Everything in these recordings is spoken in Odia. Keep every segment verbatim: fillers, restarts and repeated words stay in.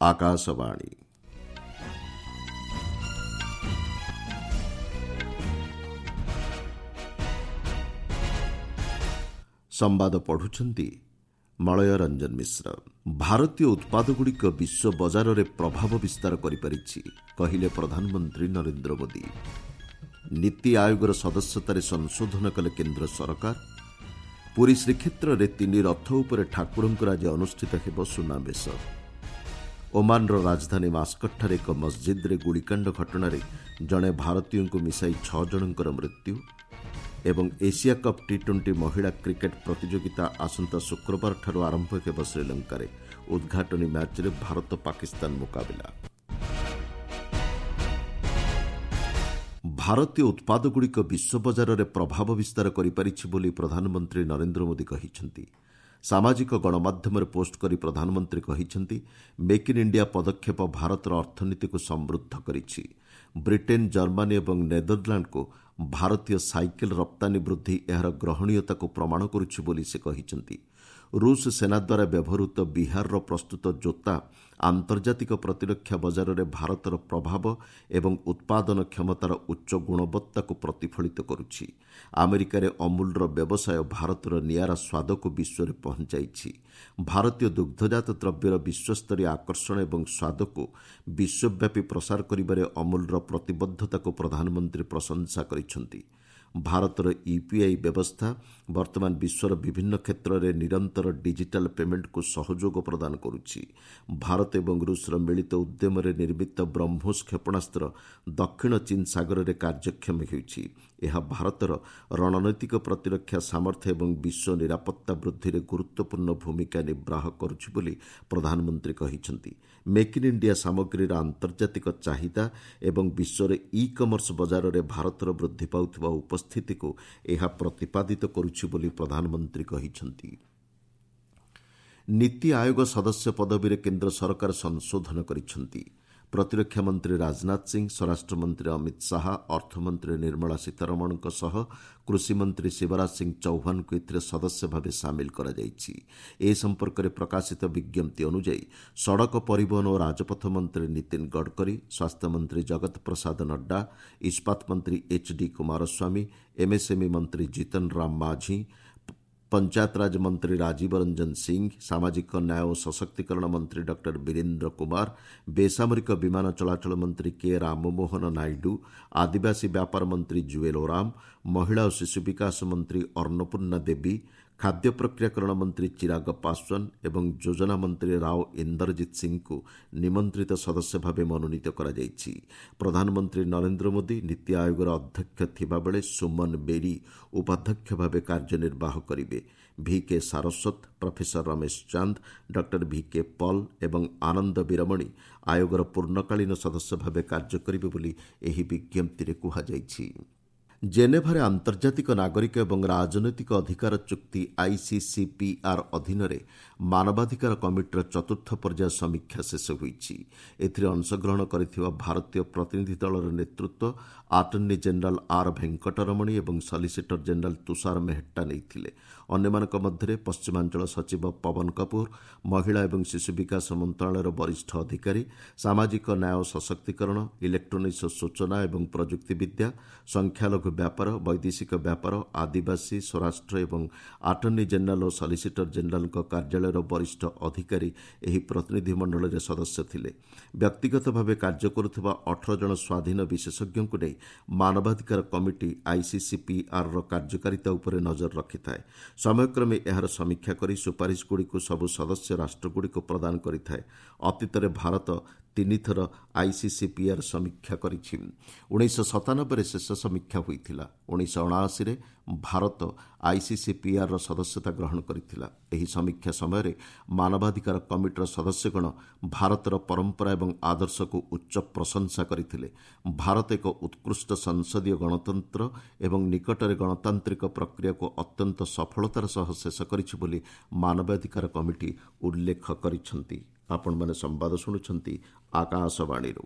ଆକାଶବାଣୀ। ସମ୍ବାଦ ପଢୁଛନ୍ତି ମଳୟ ରଞ୍ଜନ ମିଶ୍ର। ଭାରତୀୟ ଉତ୍ପାଦଗୁଡ଼ିକ ବିଶ୍ୱ ବଜାରରେ ପ୍ରଭାବ ବିସ୍ତାର କରିପାରିଛି, କହିଲେ ପ୍ରଧାନମନ୍ତ୍ରୀ ନରେନ୍ଦ୍ର ମୋଦି। ନୀତି ଆୟୋଗର ସଦସ୍ୟତାରେ ସଂଶୋଧନ କଲେ କେନ୍ଦ୍ର ସରକାର। ପୁରୀ ଶ୍ରୀକ୍ଷେତ୍ରରେ ତିନି ରଥ ଉପରେ ଠାକୁରଙ୍କର ଆଜି ଅନୁଷ୍ଠିତ ହେବ ସୁନାବେଶ। ଓମାନର ରାଜଧାନୀ ମାସ୍କଟଠାରେ ଏକ ମସଜିଦ୍ରେ ଗୁଳିକାଣ୍ଡ ଘଟଣାରେ ଜଣେ ଭାରତୀୟଙ୍କୁ ମିଶାଇ ଛଅ ଜଣଙ୍କର ମୃତ୍ୟୁ ଏବଂ ଏସିଆ କପ୍ ଟି ଟ୍ୱେଣ୍ଟି ମହିଳା କ୍ରିକେଟ୍ ପ୍ରତିଯୋଗିତା ଆସନ୍ତା ଶୁକ୍ରବାରଠାରୁ ଆରମ୍ଭ ହେବ ଶ୍ରୀଲଙ୍କାରେ। ଉଦ୍ଘାଟନୀ ମ୍ୟାଚ୍ରେ ଭାରତ ପାକିସ୍ତାନ ମୁକାବିଲା। ଭାରତୀୟ ଉତ୍ପାଦଗୁଡ଼ିକ ବିଶ୍ୱ ବଜାରରେ ପ୍ରଭାବ ବିସ୍ତାର କରିପାରିଛି ବୋଲି ପ୍ରଧାନମନ୍ତ୍ରୀ ନରେନ୍ଦ୍ର ମୋଦି କହିଛନ୍ତି। ସାମାଜିକ ଗଣମାଧ୍ୟମରେ ପୋଷ୍ଟ କରି ପ୍ରଧାନମନ୍ତ୍ରୀ କହିଛନ୍ତି, ମେକ୍ ଇନ୍ ଇଣ୍ଡିଆ ପଦକ୍ଷେପ ଭାରତର ଅର୍ଥନୀତିକୁ ସମୃଦ୍ଧ କରିଛି। ବ୍ରିଟେନ୍, ଜର୍ମାନୀ ଏବଂ ନେଦରଲ୍ୟାଣ୍ଡକୁ ଭାରତୀୟ ସାଇକେଲ ରପ୍ତାନୀ ବୃଦ୍ଧି ଏହାର ଗ୍ରହଣୀୟତାକୁ ପ୍ରମାଣ କରୁଛି ବୋଲି ସେ କହିଛନ୍ତି। ରୁଷ ସେନା ଦ୍ୱାରା ବ୍ୟବହୃତ ବିହାରର ପ୍ରସ୍ତୁତ ଜୋତା ଆନ୍ତର୍ଜାତିକ ପ୍ରତିରକ୍ଷା ବଜାରରେ ଭାରତର ପ୍ରଭାବ ଏବଂ ଉତ୍ପାଦନ କ୍ଷମତାର ଉଚ୍ଚ ଗୁଣବତ୍ତାକୁ ପ୍ରତିଫଳିତ କରୁଛି। ଆମେରିକାରେ ଅମୁଲର ବ୍ୟବସାୟ ଭାରତର ନିଆରା ସ୍ୱାଦକୁ ବିଶ୍ୱରେ ପହଞ୍ଚାଇଛି। ଭାରତୀୟ ଦୁଗ୍ଧଜାତ ଦ୍ରବ୍ୟର ବିଶ୍ୱସ୍ତରୀୟ ଆକର୍ଷଣ ଏବଂ ସ୍ୱାଦକୁ ବିଶ୍ୱବ୍ୟାପୀ ପ୍ରସାର କରିବାରେ ଅମୁଲର ପ୍ରତିବଦ୍ଧତାକୁ ପ୍ରଧାନମନ୍ତ୍ରୀ ପ୍ରଶଂସା କରିଛନ୍ତି। ଭାରତର ୟୁପିଆଇ ବ୍ୟବସ୍ଥା ବର୍ତ୍ତମାନ ବିଶ୍ୱର ବିଭିନ୍ନ କ୍ଷେତ୍ରରେ ନିରନ୍ତର ଡିଜିଟାଲ ପେମେଣ୍ଟକୁ ସହଯୋଗ ପ୍ରଦାନ କରୁଛି। ଭାରତ ଏବଂ ରୁଷର ମିଳିତ ଉଦ୍ୟମରେ ନିର୍ମିତ ବ୍ରହ୍ମୋସ କ୍ଷେପଣାସ୍ତ୍ର ଦକ୍ଷିଣ ଚୀନ ସାଗରରେ କାର୍ଯ୍ୟକ୍ଷମ ହେଉଛି। ଏହା ଭାରତର ରଣନୈତିକ ପ୍ରତିରକ୍ଷା ସାମର୍ଥ୍ୟ ଏବଂ ବିଶ୍ୱ ନିରାପତ୍ତା ବୃଦ୍ଧିରେ ଗୁରୁତ୍ୱପୂର୍ଣ୍ଣ ଭୂମିକା ନିର୍ବାହ କରୁଛି ବୋଲି ପ୍ରଧାନମନ୍ତ୍ରୀ କହିଛନ୍ତି। ମେକ୍ ଇନ୍ ଇଣ୍ଡିଆ ସାମଗ୍ରୀର ଆନ୍ତର୍ଜାତିକ ଚାହିଦା ଏବଂ ବିଶ୍ୱର ଇ କମର୍ସ ବଜାରରେ ଭାରତର ବୃଦ୍ଧି ପାଉଥିବା ଉପସ୍ଥିତିକୁ ଏହା ପ୍ରତିପାଦିତ କରୁଛି ବୋଲି ପ୍ରଧାନମନ୍ତ୍ରୀ କହିଛନ୍ତି। ନୀତି ଆୟୋଗ ସଦସ୍ୟ ପଦବୀରେ କେନ୍ଦ୍ର ସରକାର ସଂଶୋଧନ କରିଛନ୍ତି। ପ୍ରତିରକ୍ଷା ମନ୍ତ୍ରୀ ରାଜନାଥ ସିଂ, ସ୍ୱରାଷ୍ଟ୍ରମନ୍ତ୍ରୀ ଅମିତ ଶାହା, ଅର୍ଥମନ୍ତ୍ରୀ ନିର୍ମଳା ସୀତାରମଣଙ୍କ ସହ କୃଷିମନ୍ତ୍ରୀ ଶିବରାଜ ସିଂ ଚୌହାନଙ୍କୁ ଏଥିରେ ସଦସ୍ୟ ଭାବେ ସାମିଲ କରାଯାଇଛି। ଏ ସମ୍ପର୍କରେ ପ୍ରକାଶିତ ବିଜ୍ଞପ୍ତି ଅନୁଯାୟୀ ସଡ଼କ ପରିବହନ ଓ ରାଜପଥ ମନ୍ତ୍ରୀ ନୀତିନ ଗଡ଼କରୀ, ସ୍ୱାସ୍ଥ୍ୟମନ୍ତ୍ରୀ ଜଗତ ପ୍ରସାଦ ନଡ୍ଡା, ଇସ୍ପାତ ମନ୍ତ୍ରୀ ଏଚ୍ ଡି କୁମାରସ୍ୱାମୀ, ଏମ୍ଏସ୍ଏମ୍ଇ ମନ୍ତ୍ରୀ ଜିତନ ରାମ ମାଝୀ, ପଞ୍ଚାୟତରାଜ ମନ୍ତ୍ରୀ ରାଜୀବ ରଞ୍ଜନ ସିଂ, ସାମାଜିକ ନ୍ୟାୟ ଓ ସଶକ୍ତିକରଣ ମନ୍ତ୍ରୀ ଡକ୍ଟର ବୀରେନ୍ଦ୍ର କୁମାର, ବେସାମରିକ ବିମାନ ଚଳାଚଳ ମନ୍ତ୍ରୀ କେ ରାମମୋହନ ନାଇଡୁ, ଆଦିବାସୀ ବ୍ୟାପାର ମନ୍ତ୍ରୀ ଜୁଏଲ ଓରାମ, ମହିଳା ଓ ଶିଶୁ ବିକାଶ ମନ୍ତ୍ରୀ ଅନ୍ନପୂର୍ଣ୍ଣା ଦେବୀ, ଖାଦ୍ୟ ପ୍ରକ୍ରିୟାକରଣ ମନ୍ତ୍ରୀ ଚିରାଗ ପାଶୱାନ ଏବଂ ଯୋଜନା ମନ୍ତ୍ରୀ ରାଓ ଇନ୍ଦରଜିତ ସିଂଙ୍କୁ ନିମନ୍ତ୍ରିତ ସଦସ୍ୟ ଭାବେ ମନୋନୀତ କରାଯାଇଛି। ପ୍ରଧାନମନ୍ତ୍ରୀ ନରେନ୍ଦ୍ର ମୋଦି ନୀତି ଆୟୋଗର ଅଧ୍ୟକ୍ଷ ଥିବାବେଳେ ସୁମନ ବେରୀ ଉପାଧ୍ୟକ୍ଷ ଭାବେ କାର୍ଯ୍ୟନିର୍ବାହ କରିବେ। V K Saraswat, professor Ramesh Chand, doctor V K Paul ଏବଂ ଆନନ୍ଦ ବୀରମଣି ଆୟୋଗର ପୂର୍ଣ୍ଣକାଳୀନ ସଦସ୍ୟ ଭାବେ କାର୍ଯ୍ୟ କରିବେ ବୋଲି ଏହି ବିଜ୍ଞପ୍ତିରେ କୁହାଯାଇଛି। ଜେନେଭାରେ ଆନ୍ତର୍ଜାତିକ ନାଗରିକ ଏବଂ ରାଜନୈତିକ ଅଧିକାର ଚୁକ୍ତି ଆଇସିସିପିଆର୍ ଅଧୀନରେ ମାନବାଧିକାର କମିଟିର ଚତୁର୍ଥ ପର୍ଯ୍ୟାୟ ସମୀକ୍ଷା ଶେଷ ହୋଇଛି। ଏଥିରେ ଅଂଶଗ୍ରହଣ କରିଥିବା ଭାରତୀୟ ପ୍ରତିନିଧି ଦଳର ନେତୃତ୍ୱ ଆଟର୍ଣ୍ଣି ଜେନେରାଲ ଆର୍ ଭେଙ୍କଟରମଣି ଏବଂ ସଲିସିଟର ଜେନେରାଲ ତୁଷାର ମେହେଟ୍ଟା ନେଇଥିଲେ। ଅନ୍ୟମାନଙ୍କ ମଧ୍ୟରେ ପଶ୍ଚିମାଞ୍ଚଳ ସଚିବ ପବନ କପୁର, ମହିଳା ଏବଂ ଶିଶୁ ବିକାଶ ମନ୍ତ୍ରଣାଳୟର ବରିଷ୍ଠ ଅଧିକାରୀ, ସାମାଜିକ ନ୍ୟାୟ ସଶକ୍ତିକରଣ, ଇଲେକ୍ଟ୍ରୋନିକ୍ସ ସୂଚନା ଏବଂ ପ୍ରଯୁକ୍ତିବିଦ୍ୟା, ସଂଖ୍ୟାଲଘୁ ବ୍ୟାପାର, ବୈଦେଶିକ ବ୍ୟାପାର, ଆଦିବାସୀ, ସ୍ୱରାଷ୍ଟ୍ର ଏବଂ ଆଟର୍ଣ୍ଣି ଜେନେରାଲ ଓ ସଲିସିଟର ଜେନେରାଲଙ୍କ କାର୍ଯ୍ୟାଳୟର ବରିଷ୍ଠ ଅଧିକାରୀ ଏହି ପ୍ରତିନିଧିମଣ୍ଡଳରେ ସଦସ୍ୟ ଥିଲେ। ବ୍ୟକ୍ତିଗତ ଭାବେ କାର୍ଯ୍ୟ କରୁଥିବା ଅଠର ଜଣ ସ୍ୱାଧୀନ ବିଶେଷଜ୍ଞଙ୍କୁ ନେଇ ମାନବାଧିକାର କମିଟି ଆଇସିସିପିଆର୍ର କାର୍ଯ୍ୟକାରିତା ଉପରେ ନଜର ରଖିଥାଏ। ସମୟକ୍ରମେ ଏହାର ସମୀକ୍ଷା କରି ସୁପାରିଶଗୁଡ଼ିକୁ ସବୁ ସଦସ୍ୟ ରାଷ୍ଟ୍ରଗୁଡ଼ିକୁ ପ୍ରଦାନ କରିଥାଏ। ଅତୀତରେ ଭାରତ ତିନିଥର ଆଇସିସିପିଆର୍ ସମୀକ୍ଷା କରିଛି। ଉଣେଇଶହ ସତାନବେରେ ଶେଷ ସମୀକ୍ଷା ହୋଇଥିଲା। ଉଣେଇଶହ ଅଣାଅଶୀରେ ଭାରତ ଆଇସିସିପିଆର୍ର ସଦସ୍ୟତା ଗ୍ରହଣ କରିଥିଲା। ଏହି ସମୀକ୍ଷା ସମୟରେ ମାନବାଧିକାର କମିଟିର ସଦସ୍ୟଗଣ ଭାରତର ପରମ୍ପରା ଏବଂ ଆଦର୍ଶକୁ ଉଚ୍ଚ ପ୍ରଶଂସା କରିଥିଲେ। ଭାରତ ଏକ ଉତ୍କୃଷ୍ଟ ସଂସଦୀୟ ଗଣତନ୍ତ୍ର ଏବଂ ନିକଟରେ ଗଣତାନ୍ତ୍ରିକ ପ୍ରକ୍ରିୟାକୁ ଅତ୍ୟନ୍ତ ସଫଳତାର ସହ ଶେଷ କରିଛି ବୋଲି ମାନବାଧିକାର କମିଟି ଉଲ୍ଲେଖ କରିଛନ୍ତି। ଆପଣମାନେ ସମ୍ବାଦ ଶୁଣୁଛନ୍ତି ଆକାଶବାଣୀରୁ।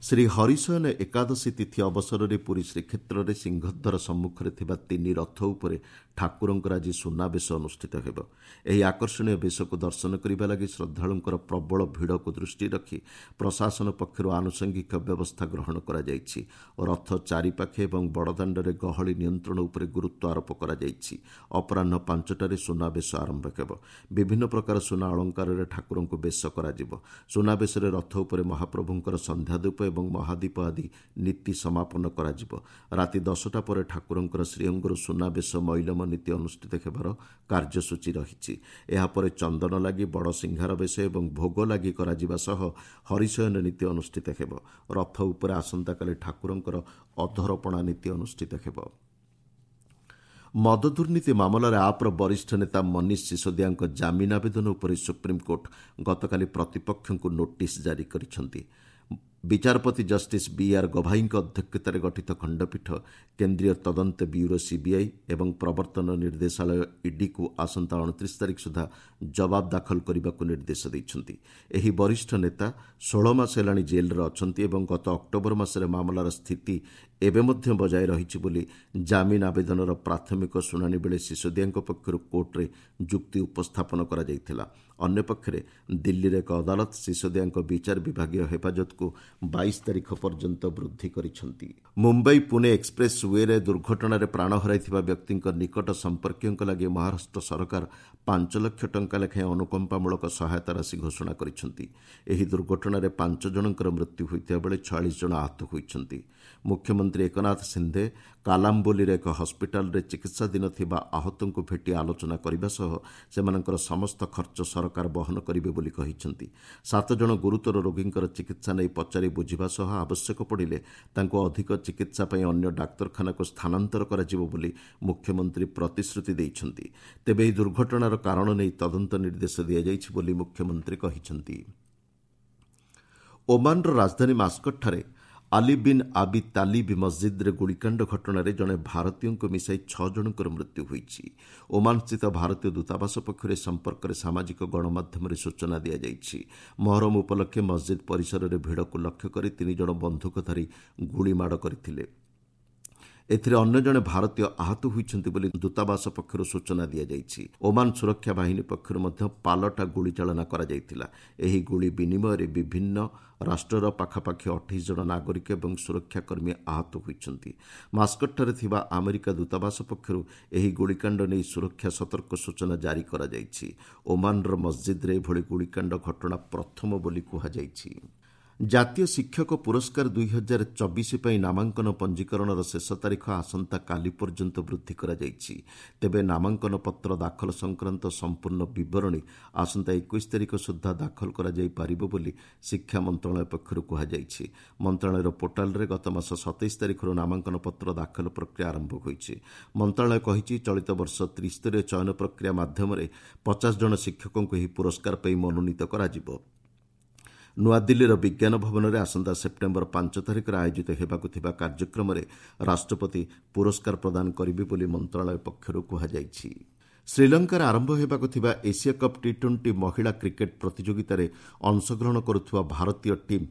ଶ୍ରୀ ହରିଶୟନ ଏକାଦଶୀ ତିଥି ଅବସରରେ ପୁରୀ ଶ୍ରୀକ୍ଷେତ୍ରରେ ସିଂହଦ୍ୱାର ସମ୍ମୁଖରେ ଥିବା ତିନି ରଥ ଉପରେ ଠାକୁରଙ୍କର ଆଜି ସୁନାବେଶ ଅନୁଷ୍ଠିତ ହେବ। ଏହି ଆକର୍ଷଣୀୟ ବେଶକୁ ଦର୍ଶନ କରିବା ଲାଗି ଶ୍ରଦ୍ଧାଳୁଙ୍କର ପ୍ରବଳ ଭିଡ଼କୁ ଦୃଷ୍ଟିରେ ରଖି ପ୍ରଶାସନ ପକ୍ଷରୁ ଆନୁଷଙ୍ଗିକ ବ୍ୟବସ୍ଥା ଗ୍ରହଣ କରାଯାଇଛି। ରଥ ଚାରିପାଖେ ଏବଂ ବଡ଼ଦାଣ୍ଡରେ ଗହଳି ନିୟନ୍ତ୍ରଣ ଉପରେ ଗୁରୁତ୍ୱ ଆରୋପ କରାଯାଇଛି। ଅପରାହ୍ନ ପାଞ୍ଚଟାରେ ସୁନାବେଶ ଆରମ୍ଭ ହେବ। ବିଭିନ୍ନ ପ୍ରକାର ସୁନା ଅଳଙ୍କାରରେ ଠାକୁରଙ୍କୁ ବେଶ କରାଯିବ। ସୁନାବେଶରେ ରଥ ଉପରେ ମହାପ୍ରଭୁଙ୍କର ସନ୍ଧ୍ୟାଧୂପ ଏବଂ ମହାଦୀପ ଆଦି ନୀତି ସମାପନ କରାଯିବ। ରାତି ଦଶଟା ପରେ ଠାକୁରଙ୍କର ଶ୍ରୀଅଙ୍ଗରୁ ସୁନାବେଶ ମଇଲମ ନୀତି ଅନୁଷ୍ଠିତ ହେବାର କାର୍ଯ୍ୟସୂଚୀ ରହିଛି। ଏହାପରେ ଚନ୍ଦନ ଲାଗି, ବଡ଼ ସିଂହାର ବେଶ ଏବଂ ଭୋଗ ଲାଗି କରାଯିବା ସହ ହରିଶୟନ ନୀତି ଅନୁଷ୍ଠିତ ହେବ। ରଥ ଉପରେ ଆସନ୍ତାକାଲି ଠାକୁରଙ୍କର ଅଧରପଣା ନୀତି ଅନୁଷ୍ଠିତ ହେବ। ମଦ ଦୁର୍ନୀତି ମାମଲାରେ ଆପ୍ର ବରିଷ୍ଠ ନେତା ମନୀଷ ସିସୋଦିଆଙ୍କ ଜାମିନ ଆବେଦନ ଉପରେ ସୁପ୍ରିମକୋର୍ଟ ଗତକାଲି ପ୍ରତିପକ୍ଷଙ୍କୁ ନୋଟିସ୍ ଜାରି କରିଛନ୍ତି। ବିଚାରପତି ଜଷ୍ଟିସ୍ ବି ଆର୍ ଗଭାଇଙ୍କ ଅଧ୍ୟକ୍ଷତାରେ ଗଠିତ ଖଣ୍ଡପୀଠ କେନ୍ଦ୍ରୀୟ ତଦନ୍ତ ବ୍ୟୁରୋ ସିବିଆଇ ଏବଂ ପ୍ରବର୍ତ୍ତନ ନିର୍ଦ୍ଦେଶାଳୟ ଇଡିକୁ ଆସନ୍ତା ଅଣତିରିଶ ତାରିଖ ସୁଦ୍ଧା ଜବାବ ଦାଖଲ କରିବାକୁ ନିର୍ଦ୍ଦେଶ ଦେଇଛନ୍ତି। ଏହି ବରିଷ୍ଠ ନେତା ଷୋହଳ ମାସ ହେଲାଣି ଜେଲ୍ରେ ଅଛନ୍ତି ଏବଂ ଗତ ଅକ୍ଟୋବର ମାସରେ ମାମଲାର ସ୍ଥିତି ଏବେ ମଧ୍ୟ ବଜାୟ ରହିଛି ବୋଲି ଜାମିନ ଆବେଦନର ପ୍ରାଥମିକ ଶୁଣାଣି ବେଳେ ସିସୋଦିଆଙ୍କ ପକ୍ଷରୁ କୋର୍ଟରେ ଯୁକ୍ତି ଉପସ୍ଥାପନ କରାଯାଇଥିଲା। ଅନ୍ୟପକ୍ଷରେ ଦିଲ୍ଲୀର ଏକ ଅଦାଲତ ସିସୋଦିଆଙ୍କ ବିଚାର ବିଭାଗୀୟ ହେଫାଜତକୁ ବାଇଶ ତାରିଖ ପର୍ଯ୍ୟନ୍ତ ବୃଦ୍ଧି କରିଛନ୍ତି। ମୁମ୍ବାଇ ପୁନେ ଏକ୍ସପ୍ରେସ୍ ୱେରେ ଦୁର୍ଘଟଣାରେ ପ୍ରାଣ ହରାଇଥିବା ବ୍ୟକ୍ତିଙ୍କ ନିକଟ ସମ୍ପର୍କୀୟଙ୍କ ଲାଗି ମହାରାଷ୍ଟ୍ର ସରକାର ପାଞ୍ଚ ଲକ୍ଷ ଟଙ୍କା ଲେଖାଏଁ ଅନୁକମ୍ପାମୂଳକ ସହାୟତା ରାଶି ଘୋଷଣା କରିଛନ୍ତି। ଏହି ଦୁର୍ଘଟଣାରେ ପାଞ୍ଚ ଜଣଙ୍କର ମୃତ୍ୟୁ ହୋଇଥିବା ବେଳେ ଛୟାଳିଶ ଜଣ ଆହତ ହୋଇଛନ୍ତି। ମୁଖ୍ୟମନ୍ତ୍ରୀ ଏକନାଥ ସିନ୍ଧେ କାଲାମ୍ବୋଲିର ଏକ ହସ୍ପିଟାଲରେ ଚିକିତ୍ସାଧୀନ ଥିବା ଆହତଙ୍କୁ ଭେଟି ଆଲୋଚନା କରିବା ସହ ସେମାନଙ୍କର ସମସ୍ତ ଖର୍ଚ୍ଚ ସରକାର ବହନ କରିବେ ବୋଲି କହିଛନ୍ତି। ସାତ ଜଣ ଗୁରୁତର ରୋଗୀଙ୍କର ଚିକିତ୍ସା ନେଇ ପଚାରି ବୁଝିବା ସହ ଆବଶ୍ୟକ ପଡ଼ିଲେ ତାଙ୍କୁ ଅଧିକ ଚିକିତ୍ସା ପାଇଁ ଅନ୍ୟ ଡାକ୍ତରଖାନାକୁ ସ୍ଥାନାନ୍ତର କରାଯିବ ବୋଲି ମୁଖ୍ୟମନ୍ତ୍ରୀ ପ୍ରତିଶ୍ରୁତି ଦେଇଛନ୍ତି। ତେବେ ଏହି ଦୁର୍ଘଟଣାର କାରଣ ନେଇ ତଦନ୍ତ ନିର୍ଦ୍ଦେଶ ଦିଆଯାଇଛି ବୋଲି ମୁଖ୍ୟମନ୍ତ୍ରୀ କହିଛନ୍ତି। ଓମାନର ରାଜଧାନୀ ମାସ୍କଟଠାରେ ଆଲି ବିନ୍ ଆବି ତାଲିବ ମସ୍ଜିଦ୍ରେ ଗୁଳିକାଣ୍ଡ ଘଟଣାରେ ଜଣେ ଭାରତୀୟଙ୍କୁ ମିଶାଇ ଛଅ ଜଣଙ୍କର ମୃତ୍ୟୁ ହୋଇଛି। ଓମାନସ୍ଥିତ ଭାରତୀୟ ଦୂତାବାସ ପକ୍ଷରୁ ଏ ସମ୍ପର୍କରେ ସାମାଜିକ ଗଣମାଧ୍ୟମରେ ସୂଚନା ଦିଆଯାଇଛି। ମହରମ ଉପଲକ୍ଷେ ମସ୍ଜିଦ୍ ପରିସରରେ ଭିଡ଼କୁ ଲକ୍ଷ୍ୟ କରି ତିନି ଜଣ ବନ୍ଧୁକଧାରୀ ଗୁଳିମାଡ଼ କରିଥିଲେ। ଏଥିରେ ଅନ୍ୟ ଜଣେ ଭାରତୀୟ ଆହତ ହୋଇଛନ୍ତି ବୋଲି ଦୂତାବାସ ପକ୍ଷରୁ ସୂଚନା ଦିଆଯାଇଛି। ଓମାନ ସୁରକ୍ଷା ବାହିନୀ ପକ୍ଷରୁ ମଧ୍ୟ ପାଲଟା ଗୁଳିଚାଳନା କରାଯାଇଥିଲା। ଏହି ଗୁଳି ବିନିମୟରେ ବିଭିନ୍ନ ରାଷ୍ଟ୍ରର ପାଖାପାଖି ଅଠେଇଶ ଜଣ ନାଗରିକ ଏବଂ ସୁରକ୍ଷାକର୍ମୀ ଆହତ ହୋଇଛନ୍ତି। ମାସ୍କଟଠାରେ ଥିବା ଆମେରିକା ଦୂତାବାସ ପକ୍ଷରୁ ଏହି ଗୁଳିକାଣ୍ଡ ନେଇ ସୁରକ୍ଷା ସତର୍କ ସୂଚନା ଜାରି କରାଯାଇଛି। ଓମାନର ମସ୍ଜିଦ୍ରେ ଏଭଳି ଗୁଳିକାଣ୍ଡ ଘଟଣା ପ୍ରଥମ ବୋଲି କୁହାଯାଇଛି। ଜାତୀୟ ଶିକ୍ଷକ ପୁରସ୍କାର ଦୁଇ ହଜାର ଚବିଶ ପାଇଁ ନାମାଙ୍କନ ପଞ୍ଜୀକରଣର ଶେଷ ତାରିଖ ଆସନ୍ତାକାଲି ପର୍ଯ୍ୟନ୍ତ ବୃଦ୍ଧି କରାଯାଇଛି। ତେବେ ନାମାଙ୍କନ ପତ୍ର ଦାଖଲ ସଂକ୍ରାନ୍ତ ସମ୍ପୂର୍ଣ୍ଣ ବିବରଣୀ ଆସନ୍ତା ଏକୋଇଶ ତାରିଖ ସୁଦ୍ଧା ଦାଖଲ କରାଯାଇପାରିବ ବୋଲି ଶିକ୍ଷା ମନ୍ତ୍ରଣାଳୟ ପକ୍ଷରୁ କୁହାଯାଇଛି। ମନ୍ତ୍ରଣାଳୟର ପୋର୍ଟାଲରେ ଗତମାସ ସତେଇଶ ତାରିଖରୁ ନାମାଙ୍କନ ପତ୍ର ଦାଖଲ ପ୍ରକ୍ରିୟା ଆରମ୍ଭ ହୋଇଛି। ମନ୍ତ୍ରଣାଳୟ କହିଛି, ଚଳିତ ବର୍ଷ ତ୍ରିସ୍ତରୀୟ ଚୟନ ପ୍ରକ୍ରିୟା ମାଧ୍ୟମରେ ପଚାଶ ଜଣ ଶିକ୍ଷକଙ୍କୁ ଏହି ପୁରସ୍କାର ପାଇଁ ମନୋନୀତ କରାଯିବ। ନୂଆଦିଲ୍ଲୀର ବିଜ୍ଞାନ ଭବନରେ ଆସନ୍ତା ସେପ୍ଟେମ୍ବର ପାଞ୍ଚ ତାରିଖରେ ଆୟୋଜିତ ହେବାକୁ ଥିବା କାର୍ଯ୍ୟକ୍ରମରେ ରାଷ୍ଟ୍ରପତି ପୁରସ୍କାର ପ୍ରଦାନ କରିବେ ବୋଲି ମନ୍ତ୍ରଣାଳୟ ପକ୍ଷରୁ କୁହାଯାଇଛି। ଶ୍ରୀଲଙ୍କାରେ ଆରମ୍ଭ ହେବାକୁ ଥିବା ଏସିଆ କପ୍ ଟି ଟ୍ୱେଣ୍ଟି ମହିଳା କ୍ରିକେଟ୍ ପ୍ରତିଯୋଗିତାରେ ଅଂଶଗ୍ରହଣ କରୁଥିବା ଭାରତୀୟ ଟିମ୍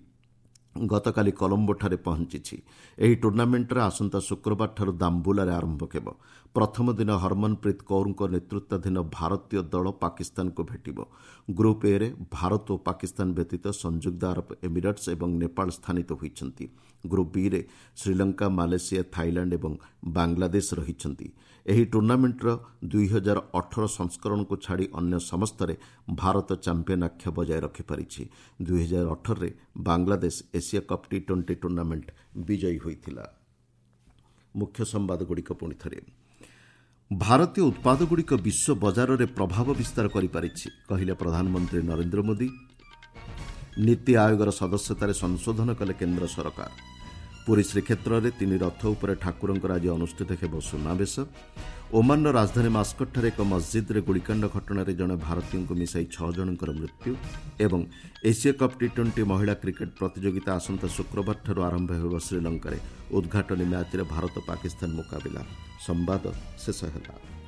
ଗତକାଲି କଲମ୍ବୋଠାରେ ପହଞ୍ଚିଛି। ଏହି ଟୁର୍ଣ୍ଣାମେଣ୍ଟରେ ଆସନ୍ତା ଶୁକ୍ରବାରଠାରୁ ଦାମ୍ବୁଲାରେ ଆରମ୍ଭ ହେବ। ପ୍ରଥମ ଦିନ ହରମନପ୍ରୀତ କୌରଙ୍କ ନେତୃତ୍ୱାଧୀନ ଭାରତୀୟ ଦଳ ପାକିସ୍ତାନକୁ ଭେଟିବ। ଗ୍ରୁପ୍ ଏରେ ଭାରତ ଓ ପାକିସ୍ତାନ ବ୍ୟତୀତ ସଂଯୁକ୍ତ ଆରବ ଏମିରେଟ୍ସ ଏବଂ ନେପାଳ ସ୍ଥାନିତ ହୋଇଛନ୍ତି। ଗ୍ରୁପ୍ ବିରେ ଶ୍ରୀଲଙ୍କା, ମାଲେସିଆ, ଥାଇଲାଣ୍ଡ ଏବଂ ବାଂଲାଦେଶ ରହିଛନ୍ତି। ଏହି ଟୁର୍ଣ୍ଣାମେଣ୍ଟର ଦୁଇ ହଜାର ଅଠର ସଂସ୍କରଣକୁ ଛାଡ଼ି ଅନ୍ୟ ସମସ୍ତରେ ଭାରତ ଚାମ୍ପିୟନ ଆଖ୍ୟା ବଜାୟ ରଖିପାରିଛି। ଦୁଇ ହଜାର ଅଠରରେ Bangladesh Asia cup T twenty tournament ବିଜୟୀ ହୋଇଥିଲା। ମୁଖ୍ୟ ସମ୍ବାଦଗୁଡ଼ିକ ପୁଣି ଥରେ। ଭାରତୀୟ ଉତ୍ପାଦଗୁଡ଼ିକ ବିଶ୍ୱ ବଜାରରେ ପ୍ରଭାବ ବିସ୍ତାର କରିପାରିଛି, କହିଲେ ପ୍ରଧାନମନ୍ତ୍ରୀ ନରେନ୍ଦ୍ର ମୋଦି। ନୀତି ଆୟୋଗର ସଦସ୍ୟତାରେ ସଂଶୋଧନ କଲେ କେନ୍ଦ୍ର ସରକାର। ପୁରୀ ଶ୍ରୀକ୍ଷେତ୍ରରେ ତିନି ରଥ ଉପରେ ଠାକୁରଙ୍କର ଆଜି ଅନୁଷ୍ଠିତ ହେବ ସୁନାବେଶ। ଓମାନର ରାଜଧାନୀ ମାସ୍କଟଠାରେ ଏକ ମସ୍ଜିଦ୍ରେ ଗୁଳିକାଣ୍ଡ ଘଟଣାରେ ଜଣେ ଭାରତୀୟଙ୍କୁ ମିଶାଇ ଛଅ ଜଣଙ୍କର ମୃତ୍ୟୁ ଏବଂ ଏସିଆ କପ୍ ଟି ଟ୍ୱେଣ୍ଟି ମହିଳା କ୍ରିକେଟ୍ ପ୍ରତିଯୋଗିତା ଆସନ୍ତା ଶୁକ୍ରବାରଠାରୁ ଆରମ୍ଭ ହେବ ଶ୍ରୀଲଙ୍କାରେ। ଉଦ୍ଘାଟନୀ ମ୍ୟାଚ୍ରେ ଭାରତ ପାକିସ୍ତାନ ମୁକାବିଲା। ସମ୍ବାଦ ଶେଷ ହେଲା।